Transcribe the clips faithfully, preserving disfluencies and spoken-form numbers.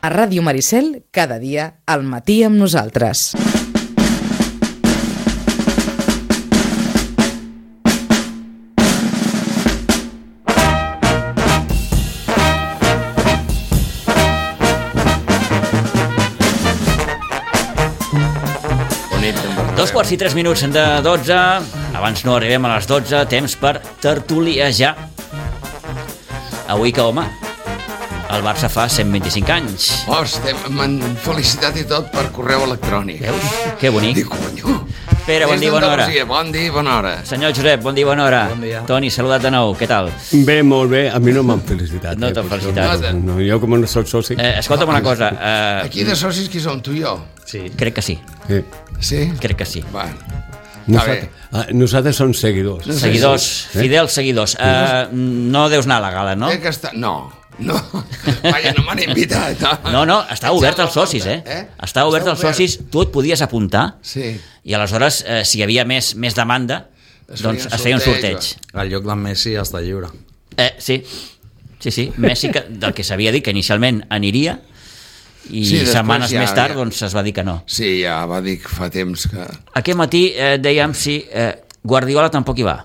A Ràdio Maricel, cada dia, al matí amb nosaltres. Dos quarts i tres minuts de dotze. Abans no arribem a les dotze. Temps per tertuliejar. Avui que, home, el Barça fa cent vint-i-cinc anys. Hosti, m'han felicitat i tot per correu electrònic. Veus? Que bonic. Dic, conyo. Pere, bon dia, bona hora. Bon dia, bona hora. Senyor Josep, bon dia, bona hora. Bon dia. Toni, saludat de nou, què tal? Bé, molt bé. A mi no m'han felicitat. No eh, t'han per felicitat. això. No, jo com no soc soci. Eh, escolta'm una cosa. Eh, Aquí de socis qui som, tu i jo? Sí. crec que sí, Sí. Sí? crec que sí. Va. Nosaltres, ah, nosaltres som seguidors. No sé Seguidors, sí. fidels seguidors. Eh, no deus anar a la gala, no? Té que estar... No, no. Vaja, no m'han invitat. No, No, no, està obert als socis, eh? Eh? Està obert als socis, tu et podies apuntar Sí. i aleshores, eh, si hi havia més, més demanda, Es doncs feia un es feia un sorteig, sorteig. El lloc d'en Messi està lliure. Eh, sí, sí, sí. Messi, que, del que s'havia dit que inicialment aniria, i Sí, després setmanes ja- més tard ja. doncs es va dir que no. Sí, ja va dir que fa temps que... Aquest matí eh, dèiem si eh, Guardiola tampoc hi va.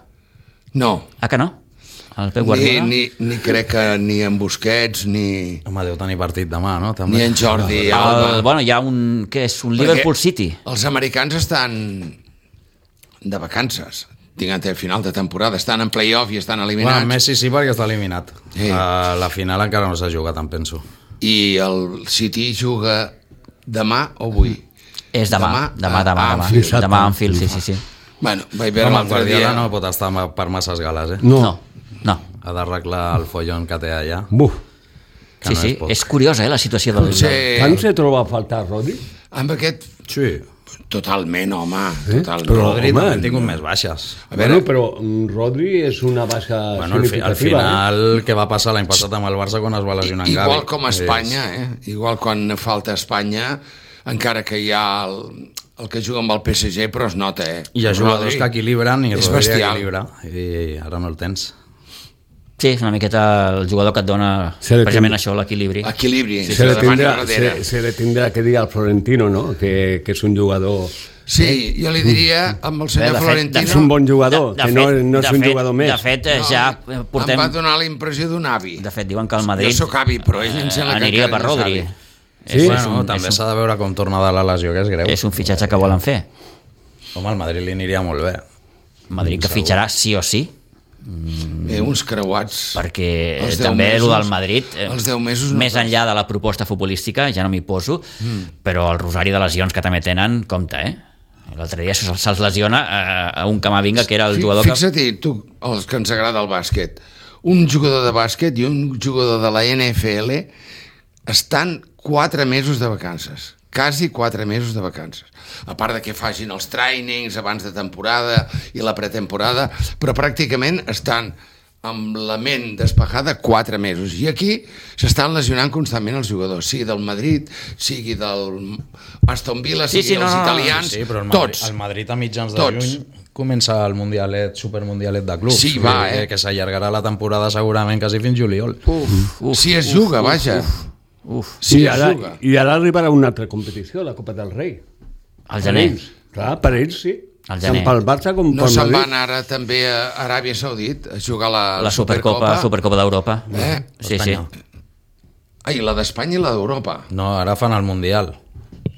No. Ah, que no? El Pep Ni, Guardiola? ni, ni crec que ni en Busquets, ni, Home, deu tenir partit demà, no? També. ni en Jordi El, Alba. bueno, hi ha un... Què és? Un Perquè Liverpool City. Els americans estan de vacances. Tinguent el final de temporada. Estan en play-off i estan eliminats. Bueno, Messi sí, perquè està eliminat. Sí. Uh, la final encara no s'ha jugat, em penso. I el City juga demà o avui? És demà, demà, demà, a- demà. a Demà, Anfield. demà a Anfield, sí, sí, sí. Bueno, vaig veure Home, el l'altre Guardiola dia... no pot estar ma- per masses gales, eh? No. No, no. Ha d'arreglar el follon que té allà. Buf. Que Sí, no sí, és poc. és curiosa, eh, la situació del... Potser Tant se troba a faltar, Rodri? amb aquest... Sí. Totalment, home, Sí? totalment. Però- Rodri home, també ha tingut més baixes. A veure, Bueno, però mm, Rodri és una baixa Bueno, al, fi, significativa. al final, què va passar l'any passat amb el Barça quan es va lesionar en Gavi? igual com a Espanya, eh? Igual quan falta Espanya, encara que hi ha el, el que juga amb el P S G, però es nota, eh? I hi ha jugadors Rodri que equilibren i és Rodri bestial. equilibra. I ara no el tens. Sí, és una miqueta el jugador que et dona Se li precisament ten- això, l'equilibri. Equilibri, Se se le, la davant i tindrà, darrere. se, se le tindrà que dir al Florentino, no? Que, que és un jugador... Sí, jo li diria amb el senyor Bé, de fet, Florentino... És un bon jugador, que no, no és de un fet, jugador més. De fet, eh, ja eh, portem... Em va donar la impressió d'un avi. De fet, diuen que el Madrid... Jo sóc avi, però ell em sembla que aniria encara per no és Rodri. avi. Sí? És, Bueno, és un, també és, s'ha de veure com torna de la lesió, que és greu. un, és un fitxatge que volen fer. Home, al Madrid li aniria molt bé. Madrid que fitxarà sí o sí, Bé, uns creuats. perquè Els deu també el mesos- del Madrid, eh, els deu mesos no més res. enllà de la proposta futbolística, ja no m'hi poso, mm. però el rosari de lesions que també tenen, compte, eh? L'altre dia se'ls se'ls lesiona eh, a un Camavinga, que era el Fi- jugador que... Fixa't-hi, tu, els que ens agrada el bàsquet, un jugador de bàsquet i un jugador de la N F L estan quatre mesos de vacances, quasi quatre mesos de vacances. A part de que facin els trainings abans de temporada i la pretemporada, però pràcticament estan amb la ment despejada quatre mesos. I aquí s'estan lesionant constantment els jugadors, sigui del Madrid, sigui del Aston Villa, Sí, sigui sí, no, dels no, no, italians, Sí, però el Madrid, tots. el Madrid a mitjans de Tots. juny comença el mundialet, supermundialet de clubs. Sí, va, eh? Que s'allargarà la temporada segurament quasi fins juliol. Uf, uf, si es juga, uf, vaja. Uf, uf. Si I es ara, juga. I ara arribarà una altra competició, la Copa del Rei. Al Per gener. ells. Clar, per ells sí. Al Tant gener. pel Barça com No pel se'n Madrid. van ara també a Aràbia Saudit a jugar la, La Supercopa, Supercopa d'Europa. Eh? Sí, sí. Espanya. Ai, la d'Espanya i la d'Europa. No, ara fan el mundial.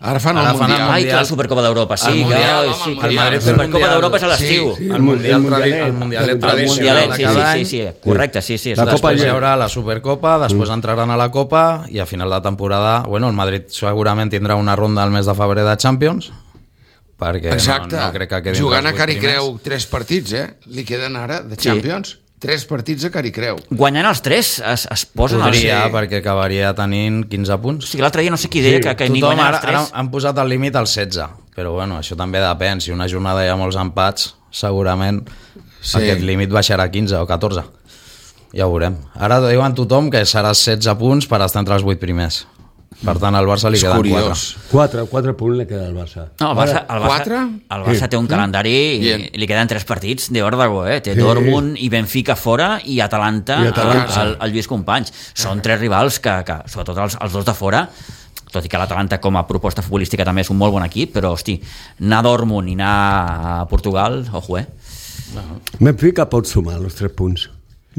Ara fan Ara el fan el Mundial. Ai, que la Supercopa d'Europa, sí. El Mundial, que- home, sí, el que Mundial. la El Supercopa Mundial. d'Europa és a l'estiu. Sí, El El mundial, Mundialet. tradi el mundialet El tradicional Mundialet, de sí, cada sí, any. sí, sí, correcte, sí, sí. és La l'estiu. Copa Després hi ja- haurà la Supercopa, després entraran a la Copa i a final de temporada, bueno, el Madrid segurament tindrà una ronda al mes de febrer de Champions, perquè Exacte. no, no crec que quedin Jugant a els vuit Caricreu primers. tres partits, eh? Li queden ara de Sí. Champions. Tres partits a Caricreu. Guanyant els tres es, es posen Podria, els... perquè acabaria tenint quinze O punts. sigui, l'altre dia no sé qui deia Sí, que, que ni Tothom guanyant ara, els ara tres... han posat el límit al setze, però bueno, això també depèn. Si una jornada hi ha molts empats, segurament Sí. aquest límit baixarà a quinze o catorze. Ja ho veurem. Ara diuen tothom que serà setze punts per estar entre els vuit primers. Per tant, al Barça li És queden curiós. quatre. Quatre, quatre punts li queda al Barça. No, el Barça, el Barça, Quatre? el Barça té un calendari Bien. i li queden tres partits de Òrdago, eh? Té Sí. Dortmund i Benfica fora i Atalanta, I Atalanta. al, al Lluís Companys. Són tres rivals que, que sobretot els, els dos de fora, tot i que l'Atalanta com a proposta futbolística també és un molt bon equip, però hosti, anar a Dortmund i anar a Portugal, ojo, eh? Benfica pot sumar els tres punts.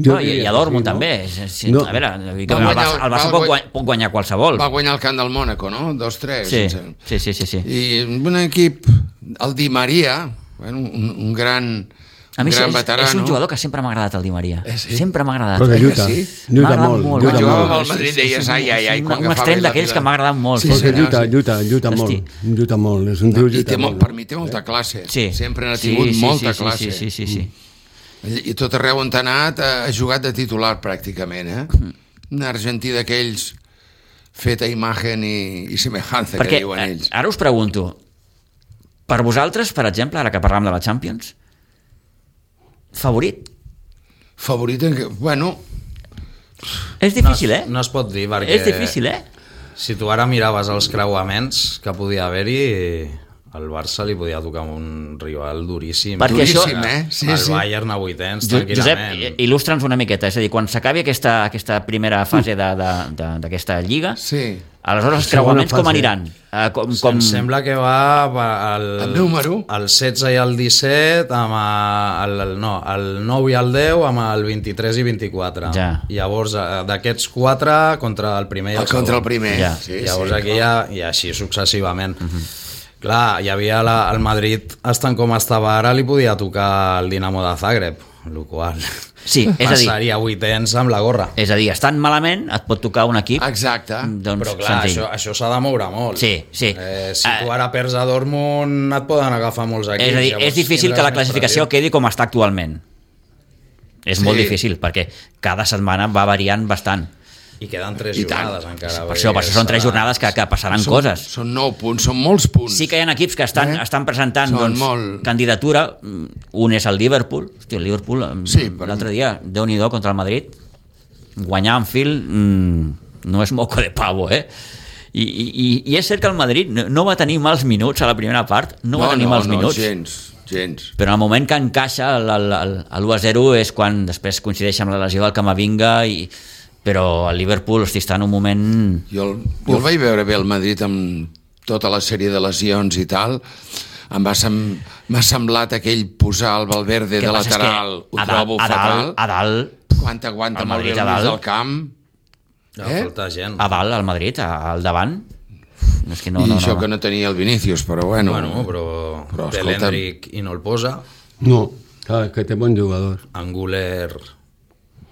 Jo No, i, diria i a que Dortmund sí, no? també. Sí, sí, No. A veure, que Va el guanyar- Barça, el Barça va pot, guany- guany, pot guanyar qualsevol. Va guanyar el camp del Mònaco, no? dos tres. Sí, sense- sí, sí, sí, sí. I un equip, el Di Maria, bueno, un, un gran, A mi un gran és, veterano. és un jugador que sempre m'ha agradat, el Di Maria. Eh, sí? Sempre m'ha agradat. Però que Eh, lluita, que sí? lluita M'ha agradat molt, molt. lluita Quan jugava molt. amb el Madrid deies, ai, ai, ai, És quan un agafava extrem ell la d'aquells que pilota. m'ha agradat molt. Sí, Perquè senyor, lluita, sí. lluita, lluita Hosti. molt, lluita molt. És un tio I té, lluita molt, molt. per mi té molta classe. Sí. Sempre n'ha Sí, tingut sí, molta sí, classe. Sí, sí, sí, sí. I tot arreu on ha anat ha ha jugat de titular pràcticament, eh? Un argentí d'aquells fet a imagen i, i semejanza, Perquè que diuen eh, ells. ara us pregunto, per vosaltres, per exemple, ara que parlam de la Champions, favorit? Favorit en què? Bueno, És difícil, eh? No es pot dir, perquè... És difícil, eh? Si tu ara miraves els creuaments que podia haver-hi, al Barça li podia tocar un rival duríssim. Perquè això- duríssim, eh? Sí, el sí. Bayern a vuitens, Jo- Josep, tranquil·lament. il·lustra'ns una miqueta, és a dir, quan s'acabi aquesta, aquesta primera fase de- de- de- d'aquesta lliga, sí. aleshores els Segona creuaments com fase. aniran? Eh, com, Com... com... Em sembla que va va el, El número? el setze i el disset, amb el, el, no, el nou i el deu, amb el vint-i-tres i vint-i-quatre. Ja. Llavors, eh, d'aquests quatre, contra el primer i el, El contra el segon. primer. Ja. Sí, Llavors sí, aquí ja, i així successivament. Uh -huh. Clar, hi havia la, el Madrid, estant com estava ara, li podia tocar el Dinamo de Zagreb, el qual Sí, és a dir, passaria vuitens amb la gorra. és a dir, estant malament et pot tocar un equip Exacte. doncs, Però clar, senzill. això, això s'ha de moure molt. Sí, sí. Eh, si Ah, tu ara perds a Dortmund et poden agafar molts equips. És a dir, llavors és difícil tindràs que la més classificació pressió. quedi com està actualment. És Sí. molt difícil, perquè cada setmana va variant bastant. I queden tres I tant. jornades encara. Per això, per això són tres jornades que, que passaran Són, coses. són nou punts, són molts punts. Sí que hi ha equips que estan, Eh? estan presentant Són doncs, molt- candidatura. Un és el Liverpool. Hosti, el Liverpool, Sí, sí, però- l'altre dia, Déu-n'hi-do contra el Madrid, guanyar en fil mm, no és moco de pavo, eh? I, i, i és cert que el Madrid no, no va tenir mals minuts a la primera part, no, va tenir no, mals no, minuts. gens, gens. Però en el moment que encaixa l'u a zero és quan després coincideix amb la lesió del Camavinga, i, però el Liverpool hosti, està en un moment... Jo el, jo el vaig veure bé el Madrid amb tota la sèrie de lesions i tal. Em va sem m'ha semblat aquell posar el Valverde Què de passa és que lateral, ho a trobo dalt, a fatal. dalt, a dalt, Quanta aguanta el molt bé Madrid el a mig dalt. del camp. Ja Eh? falta gent. a dalt, al Madrid, a- al davant. No, és que no, I no, això no, que no tenia el Vinícius, però bueno. Bueno, però, Però, té escolta'm. l'Hendrick i no el posa. No, clar, que té bon jugador. Anguler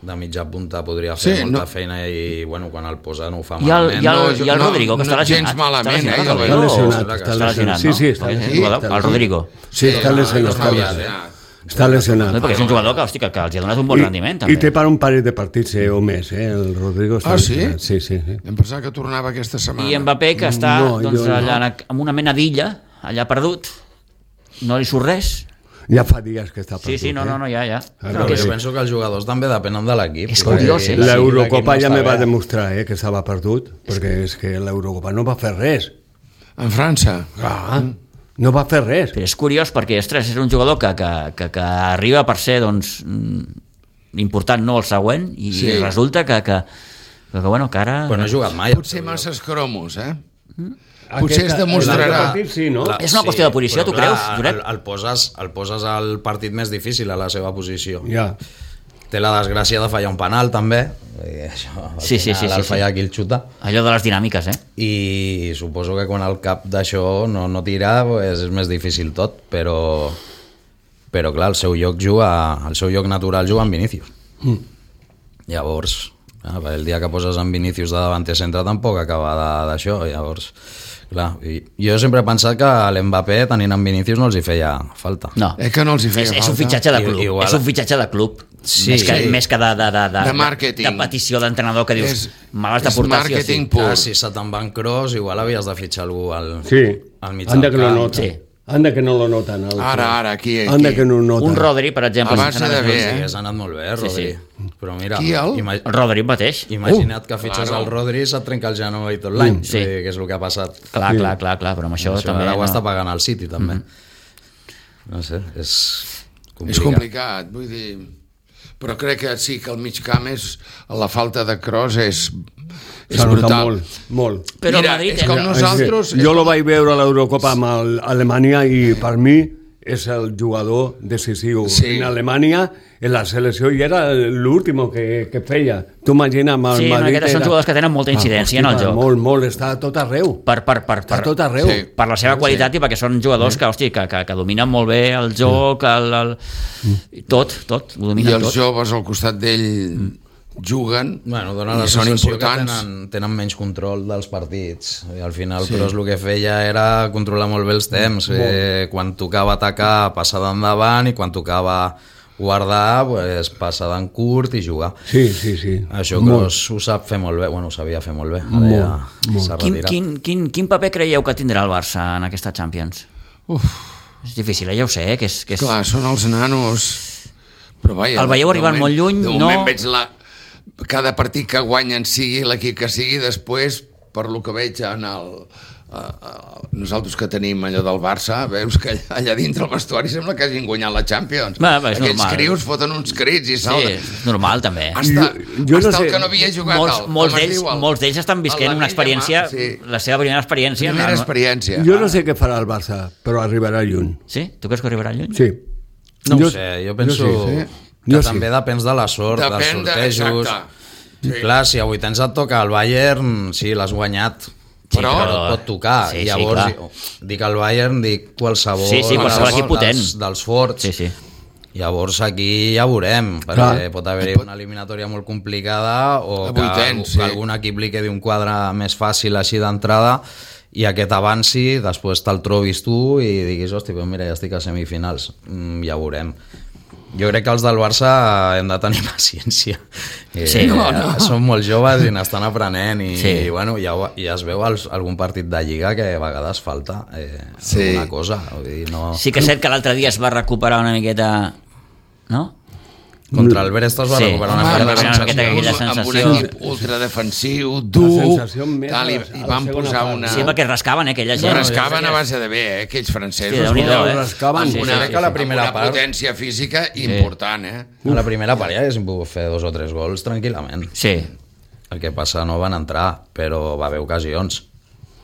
de mitja punta podria fer Sí, molta no. feina i bueno, quan el posa no ho fa I el, malament. i el, No, jo- i el no, Rodrigo, que no, està lesionat. gens malament, està lesionat, eh, jo el el Està Rodrigo. lesionat, sembla que està està lesionat. lesionat, Sí, no? sí, està Perquè és un lesionat. jugador- Està el Rodrigo. Sí, està lesionat. no Està havia lesionat. anat. Està lesionat. No, perquè és un jugador que, hosti, que, que els ha donat un bon rendiment, I, també. I té per un parell de partits eh, o més, eh? El Rodrigo està Ah, sí? lesionat. Sí, sí, sí. Em pensava que tornava aquesta setmana. I Mbappé, que està No, doncs, jo no. allà amb una mena d'illa, allà perdut, no li surt res. Ja fa dies que està Sí, perdut. sí, no, no, no, ja, ja. Ah, Però no, jo sí. penso que els jugadors també depenen de l'equip. És Vull dir, curiós, eh? si L'Eurocopa l'equip ja no me està va bé- demostrar eh, que estava perdut, perquè és que l'Eurocopa no va fer res. En França. Ah, no va fer res. Però és curiós perquè, ostres, és un jugador que, que, que, que arriba per ser, doncs, mm, important no el següent, i Sí. resulta que, que, que, que, bueno, que ara... Però no ha jugat mai. Potser masses cromos, eh? Mm. Potser es demostrarà. l'altre partit sí, no? La- És una qüestió de posició, però tu clar, creus, Josep? El, el, poses, el poses al partit més difícil a la seva posició. Ja. Té la desgràcia de fallar un penal, també. I això, al Sí, sí, final, sí, sí, el sí. fallar aquí el xuta. Allò de les dinàmiques, eh? I suposo que quan el cap d'això no, no tira pues, és més difícil tot, però però clar, el seu lloc juga el seu lloc natural juga amb Vinícius. Mm. Llavors, ah, el dia que poses en Vinícius de davanter centre tampoc acaba de- d'això, llavors clar, i jo sempre he pensat que a l'Mbappé tenint en Vinícius no els hi feia falta. No. Eh que no els hi feia és, és falta? un fitxatge de club. I- igual- És un fitxatge de club. Sí, més, que, sí. més que de, de, de, de, De màrqueting. de petició d'entrenador que dius, És- me l'has de és portar sí o sí. màrqueting pur. Clar, si se te'n van Kroos, igual havies de fitxar algú al, Sí, al mig anda del que lo camp. nota. Sí. Anda que no lo noten. El... Ara, ara, aquí, aquí. Anda que no ho noten. Un Rodri, per exemple. A base de bé, Sí, eh? has anat molt bé, Rodri. Sí, sí. Però mira, Qui, el? ima El Rodri mateix. imagina't que fitxes claro. el Rodri i se't trenca el genoll tot l'any, Sí. sí. que és el que ha passat. Clar, clar, clar, clar, però amb això, Això també... ara ho no. està pagant el City, també. Mm -hmm. No sé, és complicat. És complicat, vull dir... Però crec que sí, que el mig camp és... La falta de Kroos és... És S'ha notat brutal. molt, molt. Però Mira, Madrid... és com nosaltres... Jo lo vaig veure a l'Eurocopa amb el- Alemanya i per mi és el jugador decisiu Sí. en Alemanya, en la selecció, i era l'últim que, que feia. Tu imagina amb el Sí, no, Madrid... aquests són jugadors que tenen molta incidència en el joc. Molt, molt, està a tot arreu. Per, per, per, Està a per, tot arreu. Sí. per la seva qualitat i perquè són jugadors que, hosti, que, que, que dominen molt bé el joc, el, el, tot, tot, ho I dominen els tot. joves al costat d'ell juguen Bueno, dona i la són sensació que importants. tenen, tenen menys control dels partits. I al final, sí. Kroos el que feia era controlar molt bé els temps. Eh, quan tocava atacar, passar d'endavant, i quan tocava guardar, pues, passar d'en curt i jugar. Sí, sí, sí. Això Kroos ho sap fer molt bé, bueno, ho sabia fer molt bé. Ara Molt, ja molt. s'ha Quin, retirat. quin, quin, quin paper creieu que tindrà el Barça en aquesta Champions? Uf, És difícil, eh? Ja ho sé, eh? que és... Que és... clar, són els nanos... Però vaja, El veieu de arribant moment- molt lluny, de no? moment veig la... Cada partit que guanyen, sigui l'equip que sigui, després, per lo que veig en el... Uh, uh, nosaltres que tenim allò del Barça, veus que allà, allà dintre el vestuari sembla que hagin guanyat la Champions. Va, va, és Aquells normal. crios foten uns crits i Sí, salten. és normal, també. Hasta, Jo- jo no hasta sé, el que no havia jugat Molts, el, molts com es d'ells diu, el- molts d'ells estan visquent el una Lamine experiència, Yamal, sí. la seva primera experiència. Primera no, no. experiència. Jo no sé què farà el Barça, però arribarà lluny. Sí? Tu creus que arribarà lluny? Sí. No ho sé, jo penso jo sí, sí. que Jo sí. també depèn de la sort, dels Depèn de... sortejos. Exacte. Sí. Clar, si a vuitens et toca el Bayern, sí, l'has guanyat, Sí, però, però- però et pot tocar. Sí, I sí, llavors, clar. dic el Bayern, dic qualsevol, Sí, sí, qualsevol dels- equip potent. dels, dels forts. Sí, sí. Llavors aquí ja veurem, perquè Clar. pot haver-hi una eliminatòria molt complicada o A que, vuitens, que sí. algun equip li quedi un quadre més fàcil així d'entrada i aquest avanci, després te'l trobis tu i diguis, hosti, doncs mira, ja estic a semifinals. Mm, ja veurem. Jo crec que els del Barça hem de tenir paciència. Eh, Sí. No, no. Són molt joves i n'estan aprenent i, Sí. i bueno, ja, ho- ja es veu als, algun partit de Lliga que a vegades falta eh, Sí. alguna cosa. Vull dir, no... Sí que és cert que l'altre dia es va recuperar una miqueta... No? Contra el Brest es va Sí. recuperar Home, una mica va de haver una sensació. miqueta aquella amb un sensació. equip ultradefensiu, dur, sensació més tal, i, a la- a i la van segona posar part. una... Sí, perquè rascaven, eh, aquella Es gent. rascaven a base de bé, eh, aquells francesos. Sí, Déu-n'hi-do, eh? rascaven. Sí, Amb sí, una, sí, que la amb primera una part- potència física important, eh? A la primera part ja haguéssim pogut fer dos o tres gols tranquil·lament. Sí. El que passa no van entrar, però va haver ocasions.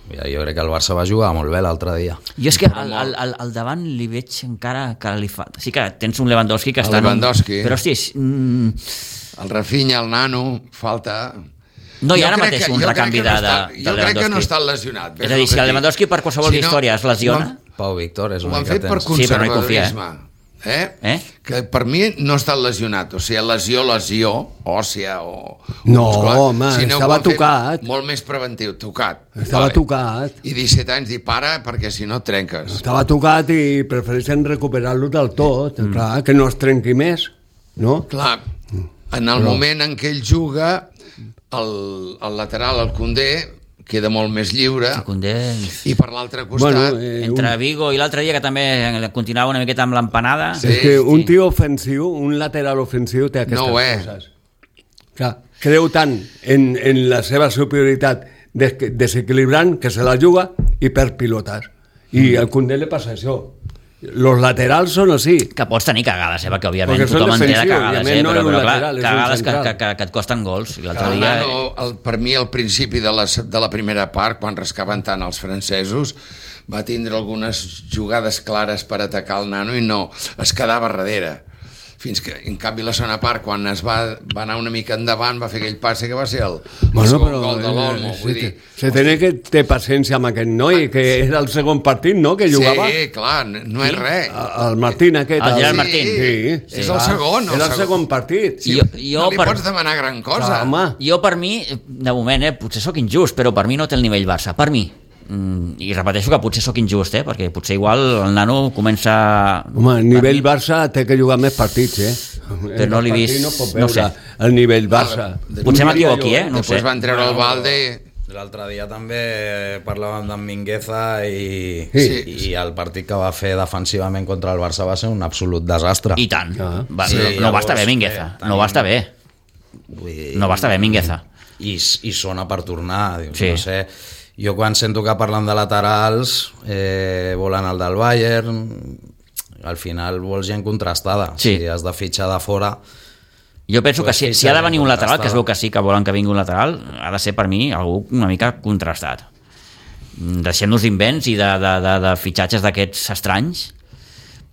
Ja, jo crec que el Barça va jugar molt bé l'altre dia. Jo és que al, al, al, al davant li veig encara que li fa... Sí que tens un Lewandowski que El està... en un- Lewandowski. Però, hosti, és- mm, El Rafinha, el nano, falta... no hi ha Jo ara crec mateix que- un jo crec recanvi que de, no de, està- de Jo crec que no Lewandowski. està lesionat. És a dir, si el Lewandowski per qualsevol història es lesiona... Pau Víctor és Ho una han mica fet per tens. Sí, però no hi confia, eh? conservadorisme. Eh? Eh? Que per mi no està lesionat, o sigui, lesió, lesió, òssia o... No, muscular, home, sinó que estava ho han fet tocat. Molt més preventiu, tocat. Estava tocat. I disset anys i para perquè si no et trenques. Estava tocat i prefereixen recuperar-lo del tot. Mm. Clar, que no es trenqui més, no? Clar, en el moment en què ell juga, el, el lateral, el Koundé, queda molt més lliure, Koundé, i per l'altre costat... Bueno, eh, entre Vigo i l'altre dia, que també continuava una miqueta amb l'empanada... Sí. És que un sí. tio ofensiu, un lateral ofensiu té aquestes No ho és. coses. Clar, creu tant en, en la seva superioritat des, desequilibrant que se la juga i perd pilotes. I al Koundé li passa això. Los laterals són així. Que pots tenir cagades, eh? Perquè òbviament Perquè són tothom en té de defensius, cagades, òbviament eh? no Però, és un però clar, lateral, és un cagades que, central. que, que, que et costen gols. I l'altre El dia... nano, el, per mi, al principi de la, de la primera part, quan rascaven tant els francesos, va tindre algunes jugades clares per atacar el nano i no, es quedava darrere. Fins que, en canvi, la segona part, quan es va, va anar una mica endavant, va fer aquell passe que va ser el, el Bueno, segon però gol de l'Olmo. eh, Vull se, dir, se té que té paciència amb aquest noi, que era el segon partit, no?, que jugava. sí, clar, no és res. El Martín aquest. El Gerard sí, Martín. Sí, És el segon, el Era el segon. segon partit. Sí. Jo, jo, no li per, pots demanar gran cosa. Clar, home. jo per mi, de moment, eh, potser sóc injust, però per mi no té el nivell Barça. Per mi. Mm, I repeteixo que potser sóc injust, eh, perquè potser igual el nano comença... Home, el nivell per mi- Barça té que jugar més partits, eh? Però no l'he El partit vist, No pot no veure sé. el nivell Barça. Potser m'equivoqui, eh? No ho Després sé. van treure el Balde L'altre dia també parlàvem d'en Mingueza i, Sí. i el partit que va fer defensivament contra el Barça va ser un absolut desastre. I tant. Ah. Va, Sí, no, no va llavors, estar bé Mingueza. eh, No va estar bé. Vull dir, No va estar bé Mingueza. I, i sona per tornar. Dius, Sí. No sé, jo quan sento que parlen de laterals eh, volen el del Bayern, al final vols gent contrastada. Sí. Si has de fitxar de fora... Jo penso que Pues si, sí, si ha de venir un lateral, contrastada. que es veu que sí, que volen que vingui un lateral, ha de ser per mi algú una mica contrastat. Deixem-nos d'invents i de, de, de, de fitxatges d'aquests estranys,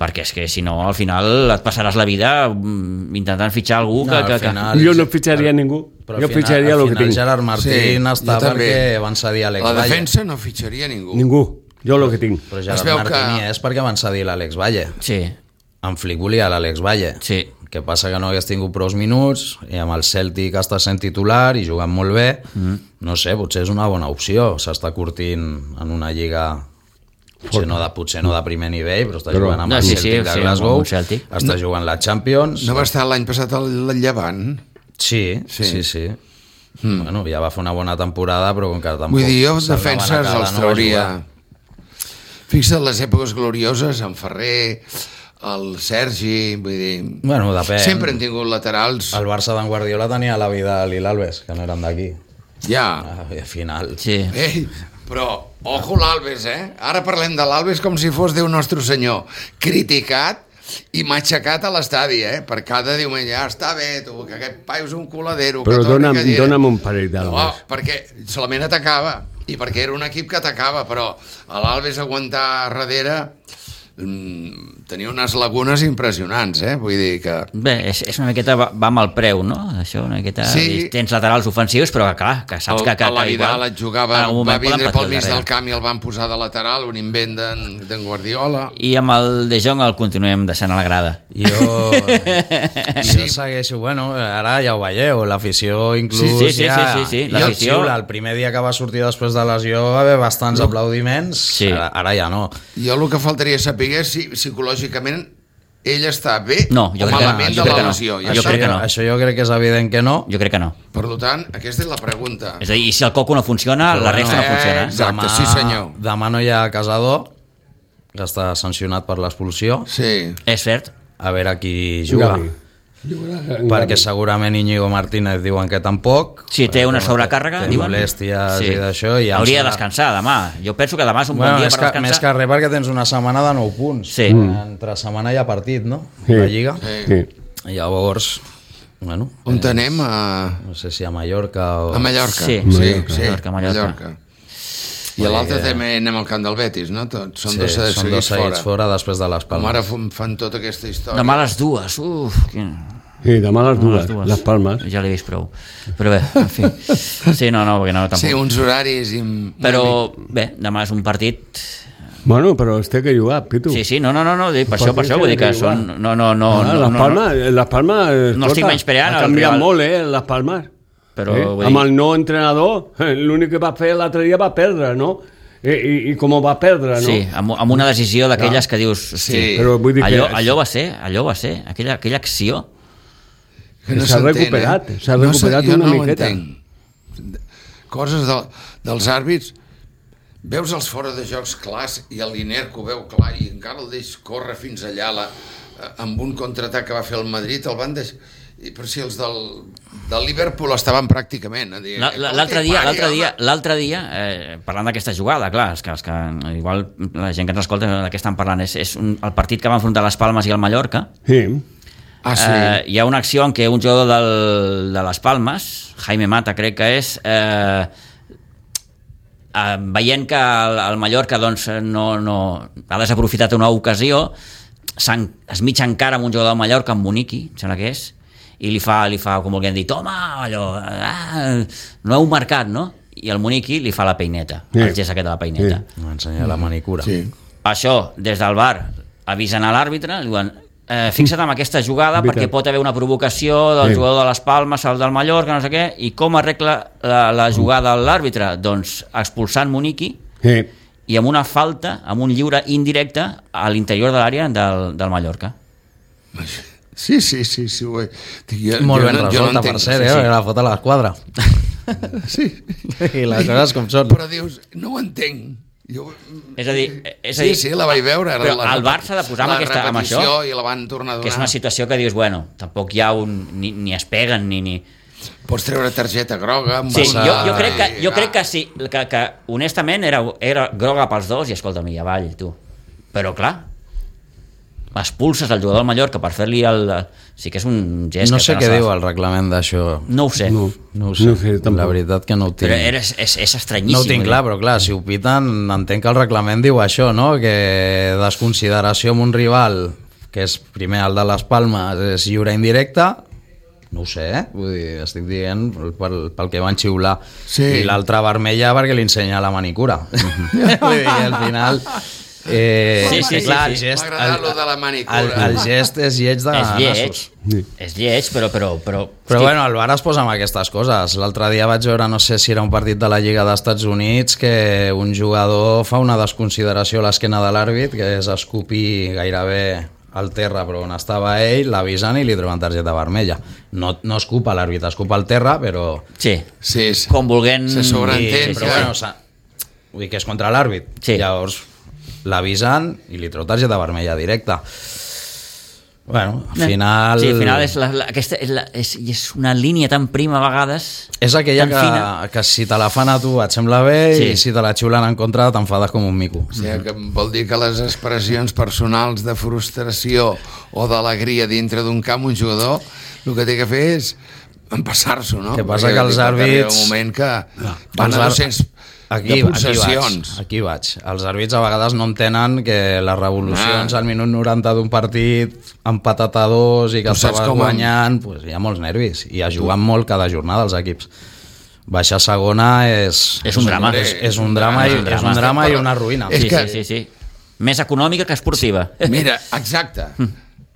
perquè és que si no, al final et passaràs la vida mm, intentant fitxar algú que... No, al que, que... final- Jo no fitxaria ningú. Però Jo al final, fitxaria al el que final tinc. Gerard Martín Sí, està jo també. perquè van cedir Alex La Valle. defensa no fitxaria ningú. Ningú. Jo el que tinc. Però Es Gerard veu Martín que- hi és perquè van cedir l'Àlex Valle. Sí, En Flick volia l'Àlex Valle. sí. Que passa que no hagués tingut prou minuts i amb el Celtic està sent titular i jugant molt bé. Mm. No sé, potser és una bona opció. S'està curtint en una lliga potser no de, potser no de primer nivell, però està Però- jugant amb No, el sí, Celtic sí, de sí, Glasgow, amb un Celtic. està jugant la Champions. No va estar l'any passat al al Llevant? Sí, Sí. sí, sí. sí. Mm. Bueno, ja va fer una bona temporada, però com que tampoc... Vull dir, jo se'ls van defenses acabar els de no trauria... jugar. Fixa't les èpoques glorioses, en Ferrer, el Sergi, vull dir... Bueno, depèn. Sempre han tingut laterals. El Barça d'en Guardiola tenia la Vidal i l'Alves, que no eren d'aquí. Ja. Ah, I al final... Sí. Ei, però, ojo l'Alves, eh? Ara parlem de l'Alves com si fos Déu Nostre Senyor. Criticat i matxacat a l'estadi, eh? Per cada diumenge, ja està bé, tu, que aquest paio és un coladero. Però que torni dona'm, que diré. dona'm un parell No, d'albes. perquè solament atacava i perquè era un equip que atacava, però a l'Alves aguantar darrere mm, tenia unes lagunes impressionants, eh? Vull dir que... Bé, és, és una miqueta, va, va amb el preu, no? Això, una miqueta... Sí. Tens laterals ofensius, però que, clar, que saps El, que... que, a la que Vidal igual, et jugava, en algun va moment poden vindre patir pel al mig darrere. del camp i el van posar de lateral, un invent d'en d'en Guardiola. I amb el De Jong el continuem deixant a la grada. Jo, jo segueixo, bueno, ara ja ho veieu, l'afició inclús Sí, sí, sí, ja... sí, sí, sí, ja l'afició- xiula. El primer dia que va sortir després de lesió va haver bastants aplaudiments, Sí. ara, ara ja no. Jo el que faltaria saber és si psicològicament ell està bé No, jo o crec que no, malament jo de crec la que no. lesió. I Jo això, crec que no. Això jo crec que és evident que no. Jo crec que no. Per tant, aquesta és la pregunta. És a dir, i si el coco no funciona, Però la bueno, resta no eh, funciona. exacte. sí, senyor. Demà no hi ha Casador, que està sancionat per l'expulsió. Sí. És cert. A veure qui juga. Gavi. Jugarà en Perquè Gavi. segurament Íñigo Martínez diuen que tampoc. Si té una Perquè sobrecàrrega, té diuen. molèsties i d'això. I em Hauria de sembla- descansar demà. Jo penso que demà és un Bueno, bon dia més, per que, més descansar. que res perquè tens una setmana de nou punts. Sí. Entre setmana hi ha partit, no? Sí. La Lliga. Sí. I llavors, bueno, On anem? A, no sé si a Mallorca o... a Mallorca. Sí, sí, Mallorca, sí, Mallorca, Mallorca. I a l'altre també anem al camp del Betis, no? Tots són Sí, dos són seguits dos seguits fora. fora després de les Com Palmes. ara fan- fan tota aquesta història. Demà a les dues. Uf, quin... Sí, demà a les demà a dues, les Palmes. Ja l'he vist prou. Però bé, en fi. Sí, no, no, perquè no, tampoc. Sí, uns horaris... I... Però bé, demà és un partit... Bueno, però es té que jugar, Pitu. Sí, sí, no, no, no, no dic, per això, per això, vull dir que són... No, no, no, Ah, no, les no, Palmes, les Palmes, No estic escolta, menyspreant ha el canviat rival. molt, eh, les Palmes. Però, eh? vull Amb dir- el nou entrenador, eh, l'únic que va fer l'altre dia va perdre, no? I, i, i com va perdre, no? Sí, amb, amb una decisió d'aquelles que dius... Sí, però vull dir que- allò, allò va ser, allò va ser, aquella, aquella acció... Que S'ha s'entén, recuperat, eh? s'ha No recuperat sé, jo una no ho miqueta. entenc. Coses de, dels àrbits, veus els fora de jocs clars i el Linerco ho veu clar i encara el deix córrer fins allà la, amb un contraatac que va fer el Madrid, el van deixar... I per si els del, del Liverpool estaven pràcticament a dir... La- la- L'altre dia, l'altre dia, l'altre dia eh, parlant d'aquesta jugada, clar, és que, és que igual la gent que ens escolta de què estan parlant és, és un, el partit que va enfrontar les Palmes i el Mallorca. Sí. Ah, sí. Eh, hi ha una acció en què un jugador del, de les Palmes, Jaime Mata crec que és, eh, eh, veient que el, el Mallorca doncs, no, no, ha desaprofitat una ocasió, es mitja encara amb un jugador del Mallorca, amb Muniqui, em sembla que és, i li fa, li fa com volguem dir, toma, allò, ah, no heu marcat, no? I el Muniqui li fa la peineta, Sí. el gest aquest de la peineta. Sí. M'ensenya la manicura. Sí. Això, des del V A R, avisen a l'àrbitre, li diuen, eh, fixa't en aquesta jugada Veritat. perquè pot haver una provocació del Sí. jugador de les Palmes, el del Mallorca, no sé què, i com arregla la, la jugada l'àrbitre? Doncs expulsant Muniqui Sí. i amb una falta, amb un lliure indirecte a l'interior de l'àrea del, del Mallorca. Sí, sí, sí, sí. Ho he... Jo, Molt jo ben no- jo no resolta, entenc. per cert, Sí, eh? sí. La foto a l'esquadra. Sí. I les coses com són. Però dius, no ho entenc. Jo... És a dir, és a Sí, dir sí, la vaig veure. però la, el Barça ha de posar amb, la aquesta, amb això, repetició i la van tornar a donar. que és una situació que dius, bueno, tampoc hi ha un... ni, ni es peguen, ni... ni... Pots treure targeta groga... Amb Sí, el- jo, jo, crec que, jo i- crec que sí, que, que honestament era, era groga pels dos i escolta'm, i avall, tu. Però clar, expulses el jugador del Mallorca per fer-li el... Sí que és un gest No que sé no què s'ha de diu fer. el reglament d'això. No ho sé, No, No ho sé, no sé tampoc. la veritat que no ho tinc. però era, és, és estranyíssim. No ho tinc vull clar, dir. però clar, si ho piten, entenc que el reglament diu això, no? Que desconsideració amb un rival, que és primer el de les Palmes, és lliure indirecte, no ho sé, eh? Vull dir, estic dient pel, pel que van xiular. Sí. I l'altra vermella perquè li ensenya la manicura. Vull dir, al final... Eh, Sí, sí, sí, clar, sí. el gest, M'ha agradat el, lo de la manicura. el, el gest és lleig de És lleig, nassos. és lleig, però... Però, però, Però hosti, bueno, el V A R es posa amb aquestes coses. L'altre dia vaig veure, no sé si era un partit de la Lliga d'Estats Units, que un jugador fa una desconsideració a l'esquena de l'àrbit, que és escopir gairebé al terra, però on estava ell, l'avisen i li treuen targeta vermella. No, no escupa l'àrbit, escupa al terra, però... sí, Sí, sí. com volent... Se sobreentén, Sí, però ja. bueno, sa- vull dir que és contra l'àrbit. Sí. Llavors l'avisen i li treu targeta vermella directa. Bueno, al final... Sí, al final és, la, la, aquesta, és, la, és, és una línia tan prima a vegades... És aquella tan que, fina. que si te la fan a tu et sembla bé Sí. i si te la xiulen en contra t'enfades com un mico. O sigui, que vol dir que les expressions personals de frustració o d'alegria dintre d'un camp, un jugador, el que té que fer és empassar-s'ho, no? Que passa Perquè que els pot arribar àrbits- un moment que van Els a ar- dos-cents Aquí, de aquí vaig, possessions. aquí vaig. Els àrbits a vegades no entenen que les revolucions Ah. al minut noranta d'un partit empatat a dos i que Tu saps estaves com- guanyant, pues, hi ha molts nervis i es juguen molt cada jornada els equips. Baixar a segona és... És un drama. És, és un drama, i, És un és drama. un drama i una ruïna. És Sí, que- sí, sí, sí. Més econòmica que esportiva. Mira, exacte.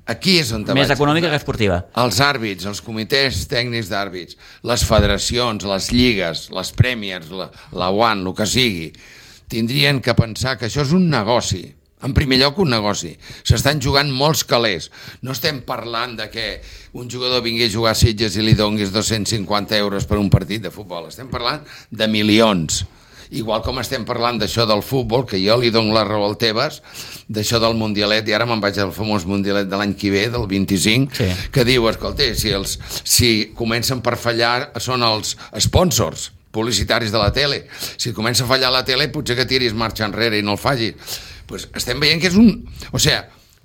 Aquí és on te Més vaig. econòmica que esportiva. Els àrbits, els comitès tècnics d'àrbits, les federacions, les lligues, les Premiers, la, la UAN, el que sigui, tindrien que pensar que això és un negoci. En primer lloc, un negoci. S'estan jugant molts calés. No estem parlant de que un jugador vingui a jugar a Sitges i li donguis dos-cents cinquanta euros per un partit de futbol. Estem parlant de milions. Igual com estem parlant d'això del futbol, que jo li dono la raó al Tebas, d'això del Mundialet, i ara me'n vaig al famós Mundialet de l'any que ve, del vint-i-cinc, Sí. que diu, escolta, si, els, si comencen per fallar són els sponsors publicitaris de la tele. Si comença a fallar la tele, potser que tiris marxa enrere i no el facis. Pues estem veient que és un... O sigui,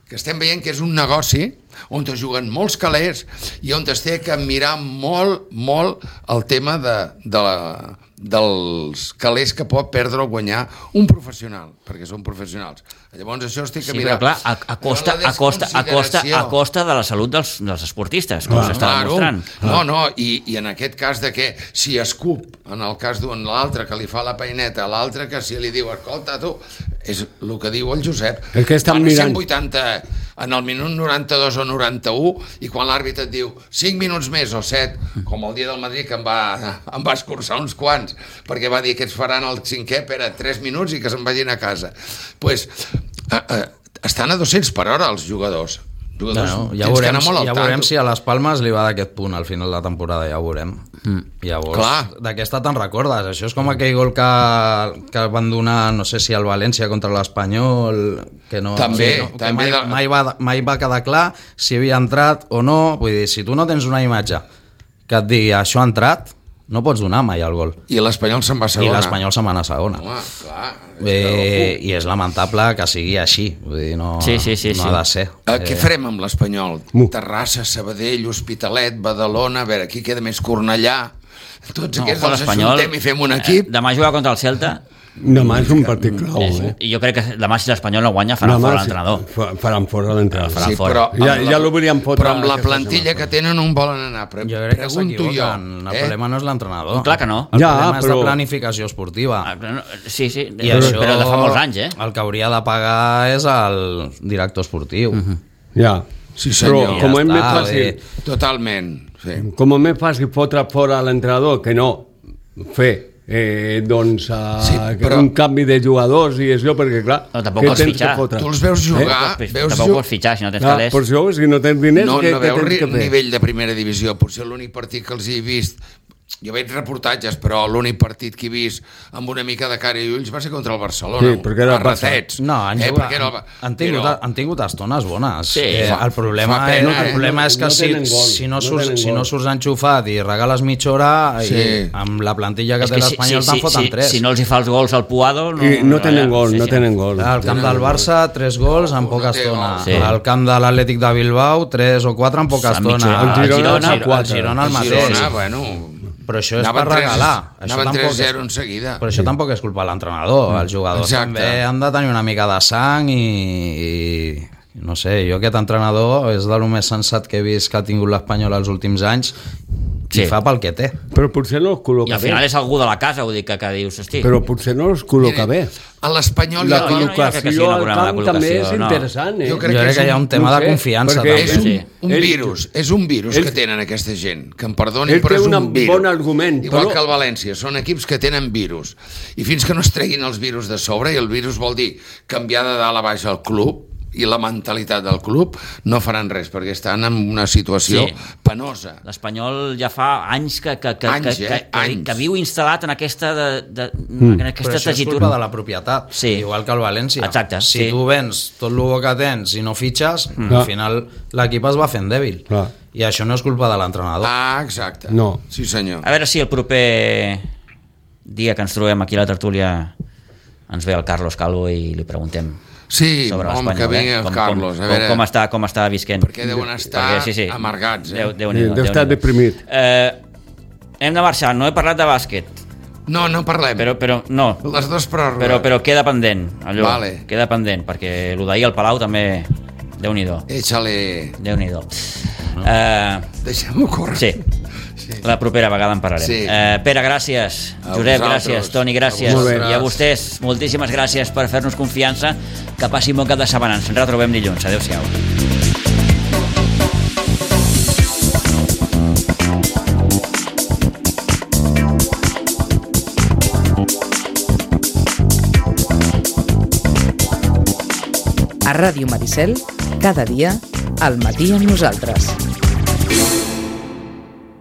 que estem veient que és un negoci on es juguen molts calés i on es té que mirar molt, molt el tema de, de la, dels calés que pot perdre o guanyar un professional, perquè són professionals. Llavors això es té que Sí, mirar. però clar, a, a, costa, Però la a, costa, a, costa, a costa de la salut dels, dels esportistes, com s'està demostrant. No, no, i, i en aquest cas de que si escup, en el cas d'un l'altre que li fa la peineta, l'altre que si li diu, escolta tu, és el que diu el Josep. És que estan Van a mirant. cent vuitanta en el minut noranta-dos o noranta-u i quan l'àrbitre et diu cinc minuts més o set, com el dia del Madrid que em va, em va escurçar uns quants perquè va dir que ens faran el cinquè per a tres minuts i que se'n vagin a casa. Pues, eh, eh, estan a dos-cents per hora els jugadors. jugadors No, no, ja tens que veurem, anar molt al ja veurem tanto. si a les Palmes li va d'aquest punt al final de la temporada, ja ho veurem. Mm. Llavors, Clar. d'aquesta te'n recordes? Això és com aquell gol que, que van donar, no sé si al València contra l'Espanyol, que no, També, no, que també mai, de- mai, va, mai va quedar clar si havia entrat o no. Vull dir, si tu no tens una imatge que et digui això ha entrat, no pots donar mai el gol. I l'Espanyol se'n va a I segona. l'Espanyol se'n va anar a segona. Home, clar. és Eh, I és lamentable que sigui així. Vull dir, no, Sí, sí, sí, no sí. ha de ser. Eh, què farem amb l'Espanyol? Mu. Terrassa, Sabadell, Hospitalet, Badalona, a veure, aquí queda més Cornellà. Tots No, aquests ojo, els l'Espanyol, ajuntem i fem un eh, equip. demà jugar contra el Celta. Demà és un partit clau, És, eh? I jo crec que demà si l'Espanyol no guanya faran Demà fora sí, l'entrenador. fa- Faran fora l'entrenador. faran Sí, fora. però Ja- amb ja l'obrien fotre Però amb la aquesta plantilla setmana. que tenen on volen anar. Pre Jo crec que pregunto jo. s'equivoquen. El eh? problema no és l'entrenador. Clar que no. El Ja, problema és però- de planificació esportiva. Ah, però no, sí, sí, I però, això, però de fa molts anys, eh? el que hauria de pagar és el director esportiu. Uh -huh. Ja. Sí, senyor. Però com Ja és més està, fàcil, bé. Totalment. Sí. com és més fàcil fotre fora l'entrenador que no fer eh, doncs, uh, Sí, però- un canvi de jugadors i això, perquè clar, No, tampoc què pots tens fitxar. que fotre? Tu els veus jugar, Tampoc pots- veus tampoc ju- pots fitxar si no tens Clar, calés. per això, si no tens diners, no, què, no què veus tens ri- que fer? nivell de primera divisió. Potser l'únic partit que els he vist Jo veig reportatges, però l'únic partit que he vist amb una mica de cara i ulls va ser contra el Barcelona. Sí, perquè era el a ratets. No, han, eh, jugat, era han, el... han, tingut, però... han tingut estones bones. Sí, eh, fa, el problema, fa pena, el eh? problema és que No si, tenen gol, si, no no surts, tenen si no gol. surts enxufat i regales mitja hora, Sí. i amb la plantilla que És té que si, l'Espanyol si, te'n si, foten si, tres. si no els hi fa els gols al Puado... No, I no tenen allà, gol, sí, no sí. tenen gol. Al camp del Barça, tres gols en poca No té estona. gol. Sí. Al camp de l'Atlètic de Bilbao, tres o quatre en poca A mitja estona. hora. El Girona, Girona, a quatre. el Girona el El mateix. Girona, bueno... Però això és Anaven per regalar. tres- Això anaven tampoc tres és- zero en seguida. Però això tampoc és culpa de l'entrenador. Els jugadors Exacte. també han de tenir una mica de sang i, i no sé, jo aquest entrenador és de lo més sensat que he vist que ha tingut l'Espanyol els últims anys Sí. i fa pel que té. Però potser no els I col·loca al final bé. és algú de la casa, vull dir, que, que dius, hosti... Però potser no els col·loca bé. A l'Espanyol La hi ha- no, no, jo crec que sí, col·locació una al programa de camp també és col·locació, no. interessant, eh? Jo Jo crec crec que és que hi ha un- un tema no de sé, confiança perquè És també. un, Sí. un Ell- virus, és un virus ell- que tenen aquesta gent, que em perdonin, ell però té és un un virus. bon argument, Igual però- que el València, són equips que tenen virus. I fins que no es treguin els virus de sobre, i el virus vol dir canviar de dalt a baix el club, i la mentalitat del club, no faran res, perquè estan en una situació Sí. penosa. L'Espanyol ja fa anys que, que, que, Anys, que, eh? que, que, Anys. que viu instal·lat en aquesta, de, de, Mm. en Però aquesta això és tessitura. culpa de la propietat, Sí. igual que el València. Exacte, si sí. tu vens tot el bo que tens i no fitxes, Mm. al final l'equip es va fent dèbil. Clar. I això no és culpa de l'entrenador. Ah, exacte. No. Sí, senyor. A veure si el proper dia que ens trobem aquí a la tertúlia ens ve el Carlos Calvo i li preguntem Sí, sobre home, l'Espanyol. que vingui eh? el com, Carlos. Com, a veure, com, com, està, com està visquent. perquè deuen estar amargats, eh? Déu, Déu, Sí, Déu, deu estar deprimit. Eh, hem de marxar, no he parlat de bàsquet, No, no parlem. però, però no, Les dues pròrrogues. però, però queda pendent, allò, Vale. queda pendent, perquè el d'ahir al Palau també, Déu-n'hi-do, Échale... Déu-n'hi-do. Eh, Deixem-ho córrer. sí, la propera vegada en parlarem. Sí. Eh, Pere, gràcies. A Josep, vosaltres. gràcies. Toni, gràcies. Molt bé. I a vostès, moltíssimes gràcies per fer-nos confiança. Que passi un bon cap de setmana. Ens retrobem dilluns. Adéu-siau. A Ràdio Maricel, cada dia, al matí amb nosaltres.